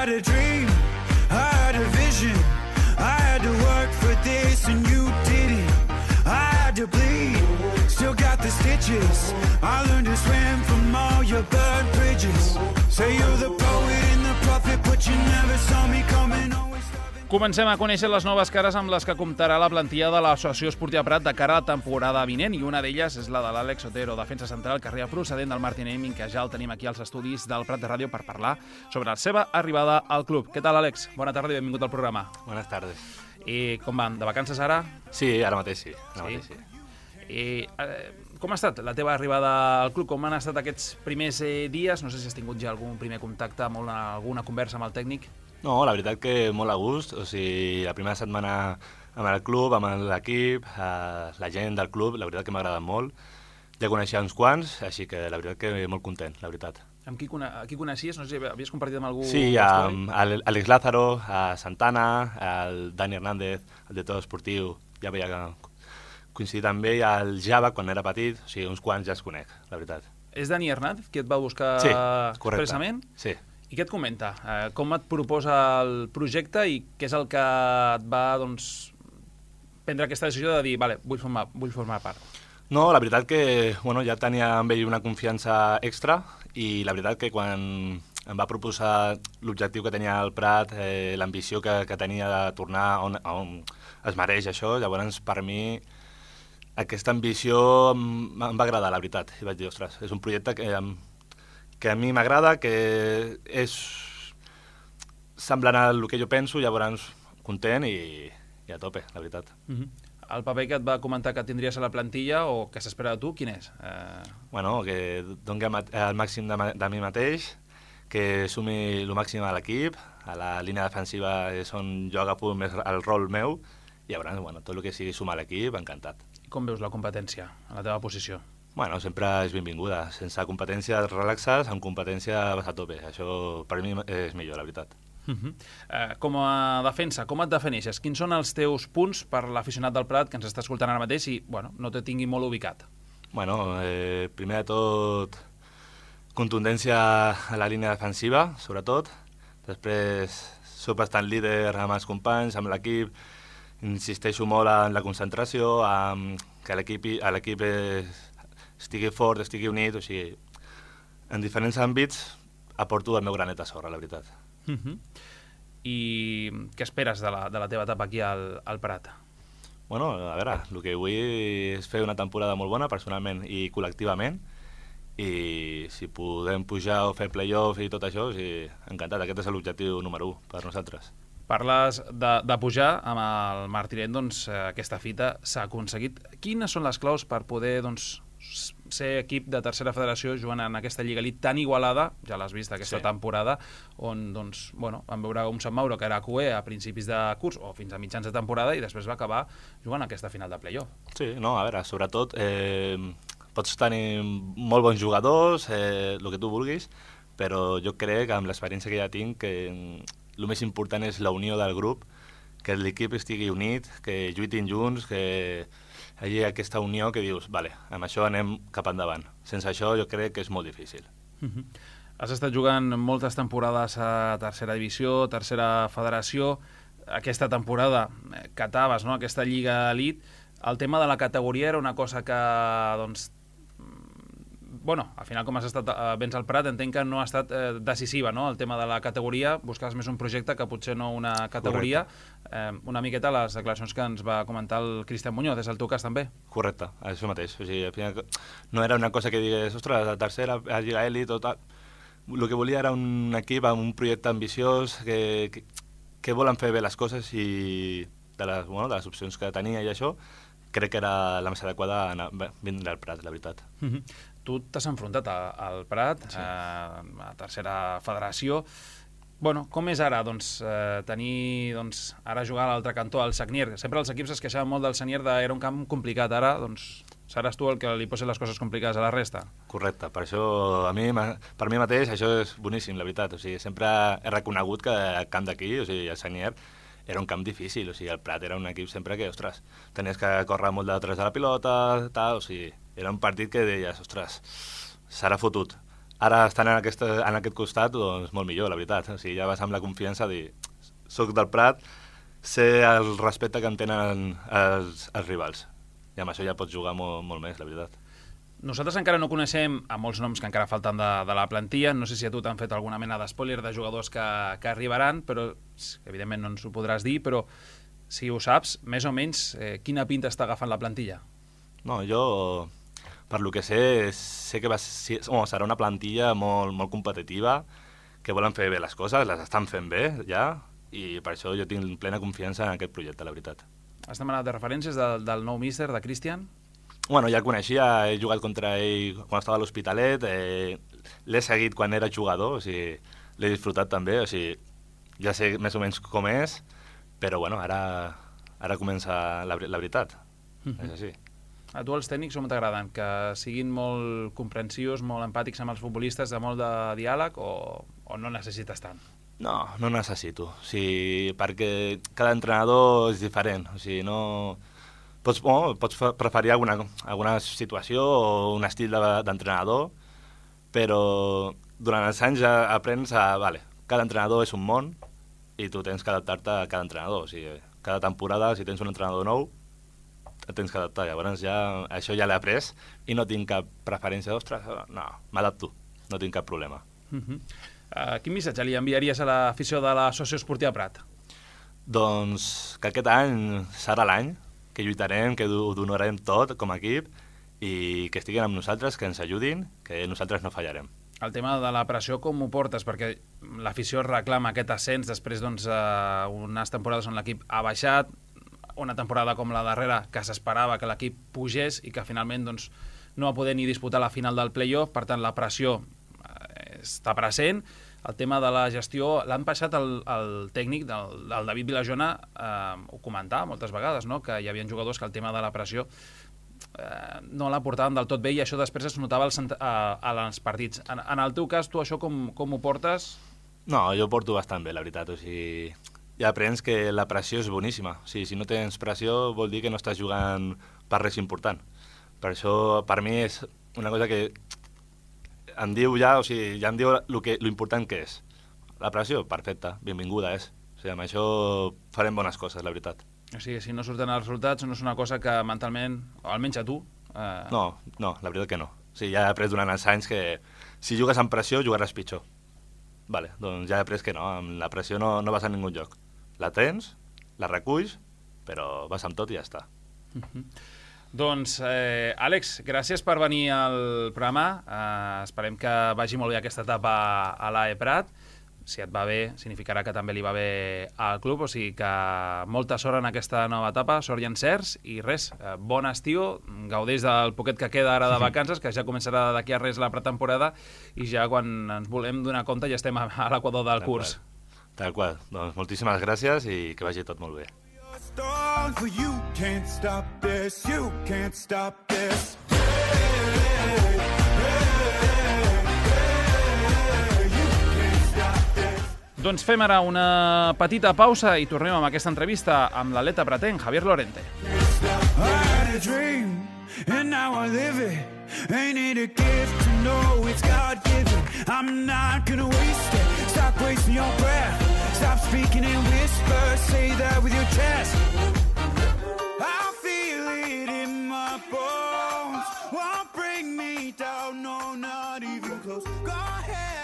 had a dream, I had a vision, I had to work for this and you didn't. I had to bleed, still got the stitches. I learned to swim from all your burned bridges. Say you're the poet and the prophet, but you never saw me coming. Comencem a conèixer les noves cares amb les que comptarà la plantilla de l'Associació Esportiva Prat de cara a la temporada vinent, i una d'elles és la de l'Àlex Otero, defensa central que arriba procedent del Martin Aiming, que ja el tenim aquí als estudis del Prat de Ràdio per parlar sobre la seva arribada al club. Què tal, Àlex? Bona tarda i benvingut al programa. Buenas tardes. I com van? De vacances ara? Sí, ara mateix sí. Com ha estat la teva arribada al club? Com han estat aquests primers dies? No sé si has tingut ja algun primer contacte, alguna conversa amb el tècnic? No, la veritat que molt a gust. O sigui, la primera setmana amb el club, amb l'equip, la gent del club, la veritat que m'ha agradat molt. Ja coneixia uns quants, així que la veritat que molt content, la veritat. Amb qui coneixies? No sé si havies compartit amb algú... Sí, amb Àlex Lázaro, a Santana, el Dani Hernández, el director esportiu, ja veia coincidir també, i el Java, quan era petit, o sigui, uns quants ja els conec, la veritat. És Dani Hernández qui et va buscar expressament? Sí. I què et comenta? Com et proposa el projecte i què és el que et va prendre aquesta decisió de dir vale, vull formar part? No, la veritat que ja tenia amb ell una confiança extra i la veritat que quan em va proposar l'objectiu que tenia el Prat, l'ambició que tenia de tornar on es mereix això, llavors per mi aquesta ambició em va agradar, la veritat. I vaig dir, ostres, és un projecte que a mi m'agrada, que és semblant al que jo penso, llavors content i a tope, la veritat. El paper que et va comentar que tindries a la plantilla o que s'espera de tu, quin és? Que doni el màxim de mi mateix, que sumi el màxim a l'equip, a la línia defensiva és on jo agafo més el rol meu, i llavors tot el que sigui sumar a l'equip, encantat. I com veus la competència a la teva posició? Sempre és benvinguda. Sense competència relaxes, amb competència vas a tope. Això per mi és millor, la veritat. Com a defensa, com et defineixes? Quins són els teus punts per l'aficionat del Prat que ens està escoltant ara mateix i no te tingui molt ubicat? Primer de tot, contundència a la línia defensiva, sobretot. Després, soc bastant líder amb els companys, amb l'equip. Insisteixo molt en la concentració, que l'equip estigui fort, estigui unit, o sigui, en diferents àmbits aporto el meu granet a sorra, la veritat. I què esperes de la teva etapa aquí al Prat? A veure, el que vull és fer una temporada molt bona, personalment i col·lectivament, i si podem pujar o fer play-off i tot això, encantat, aquest és l'objectiu número 1 per nosaltres. Parles de pujar amb el Martinet, aquesta fita s'ha aconseguit. Quines són les claus per poder ser equip de tercera federació jugant en aquesta Lliga Elite tan igualada, ja l'has vist aquesta temporada, on vam veure un Sant Mauro que era QE a principis de curs o fins a mitjans de temporada i després va acabar jugant aquesta final de playoff. Sí, a veure, sobretot pots tenir molt bons jugadors, el que tu vulguis, però jo crec que amb l'experiència que ja tinc que el més important és la unió del grup, que l'equip estigui unit, que lluitin junts, que hi hagi aquesta unió que dius, vale, amb això anem cap endavant. Sense això jo crec que és molt difícil. Has estat jugant moltes temporades a tercera divisió, tercera federació. Aquesta temporada cataves aquesta Lliga Elite. El tema de la categoria era una cosa que, al final, com has estat vens al Prat, entenc que no ha estat decisiva, no? El tema de la categoria, buscaves més un projecte que potser no una categoria. Una miqueta les declaracions que ens va comentar el Cristian Muñoz, és el teu cas també? Correcte, això mateix. O sigui, al final no era una cosa que digués, ostres, la tercera, la Lliga Elite, tot. El que volia era un equip amb un projecte ambiciós que volen fer bé les coses i de les opcions que tenia i això, crec que era la més adequada vindre al Prat, la veritat. Tu t'has enfrontat al Prat, a tercera federació. Com és ara tenir ara jugar a l'altre cantó, al Sagnier? Sempre els equips es queixaven molt del Sagnier, era un camp complicat. Ara seràs tu el que li posi les coses complicades a la resta. Correcte, per això per mi mateix això és boníssim, la veritat. O sigui, sempre he reconegut que el camp d'aquí, o sigui, el Sagnier, era un camp difícil. O sigui, el Prat era un equip sempre que, ostres, tenies que córrer molt detrás de la pilota, tal, o sigui, era un partit que deies, ostres, serà fotut. Ara, estant en aquest costat, doncs molt millor, la veritat. O sigui, ja vas amb la confiança de dir, soc del Prat, sé el respecte que em tenen els rivals. I amb això ja pots jugar molt més, la veritat. Nosaltres encara no coneixem a molts noms que encara falten de la plantilla. No sé si a tu t'han fet alguna mena d'espoiler de jugadors que arribaran, però evidentment no ens ho podràs dir, però si ho saps, més o menys, quina pinta està agafant la plantilla? No, jo, per lo que sé que serà una plantilla molt competitiva, que volen fer bé les coses, les estan fent bé ja, i per això jo tinc plena confiança en aquest projecte, la veritat. Has demanat de referències del nou míster, de Cristian? Bueno, ja el coneixia, he jugat contra ell quan estava a l'Hospitalet, l'he seguit quan era jugador, o sigui, l'he disfrutat també, o sigui, ja sé més o menys com és, però bueno, ara comença la veritat, és així. A tu els tècnics com t'agraden? Que siguin molt comprensius, molt empàtics amb els futbolistes, de molt de diàleg, o no necessites tant? No necessito, o sigui, perquè cada entrenador és diferent, o sigui, no... Pots preferir alguna situació o un estil d'entrenador, però durant els anys ja aprens vale, cada entrenador és un món i tu tens que adaptar-te a cada entrenador. O sigui, cada temporada, si tens un entrenador nou, et tens que adaptar. Llavors això ja l'he après i no tinc cap preferència. Ostres, no, m'adapto, no tinc cap problema. Quin missatge li enviaries a l'afició de la Socioesportiva Prat? Doncs que aquest any serà l'any, que lluitarem, que ho donarem tot com a equip i que estiguin amb nosaltres, que ens ajudin, que nosaltres no fallarem. El tema de la pressió, com ho portes? Perquè l'afició reclama aquest ascens després d'unes temporades on l'equip ha baixat, una temporada com la darrera que s'esperava que l'equip pugés i que finalment no va poder ni disputar la final del play-off, per tant la pressió està present. El tema de la gestió, l'han passat el tècnic, el David Vilajona, ho comentava moltes vegades, no? Que hi havia jugadors que el tema de la pressió no la portaven del tot bé i això després es notava als partits. En el teu cas, tu això com ho portes? No, jo ho porto bastant bé, la veritat. O sigui, ja aprens que la pressió és boníssima. O sigui, si no tens pressió vol dir que no estàs jugant per res important. Per això, per mi, és una cosa que em diu ja em diu lo important que és. La pressió, perfecta, benvinguda és. O sigui, amb això farem bones coses, la veritat. O sigui, si no surten els resultats, no és una cosa que mentalment, o almenys a tu... No, la veritat que no. O sigui, ja he après durant els anys que si jugues amb pressió, jugaràs pitjor. Vale, doncs ja he après que no, amb la pressió no vas a ningú lloc. La tens, la reculls, però vas amb tot i ja està. Doncs, Àlex, gràcies per venir al programa. Esperem que vagi molt bé aquesta etapa a l'AE Prat. Si et va bé, significarà que també li va bé al club, o sigui que molta sort en aquesta nova etapa, sort i encerts, i res, bon estiu, gaudeix del poquet que queda ara de vacances, que ja començarà d'aquí a res la pretemporada, i ja quan ens volem donar compte ja estem a l'equador del curs. Tal qual. Doncs moltíssimes gràcies i que vagi tot molt bé. You can't stop this, you can't stop this. Doncs fem ara una petita pausa i tornem amb aquesta entrevista amb l'atleta pratenc, Javier Lorente. I had a dream, and now I live it. Ain't it a gift to know it's God-given? I'm not gonna waste it. Stop wasting your breath. Stop speaking in whispers. Say that with your chest. I feel it in my bones. Won't bring me down, no, not even close. Go ahead.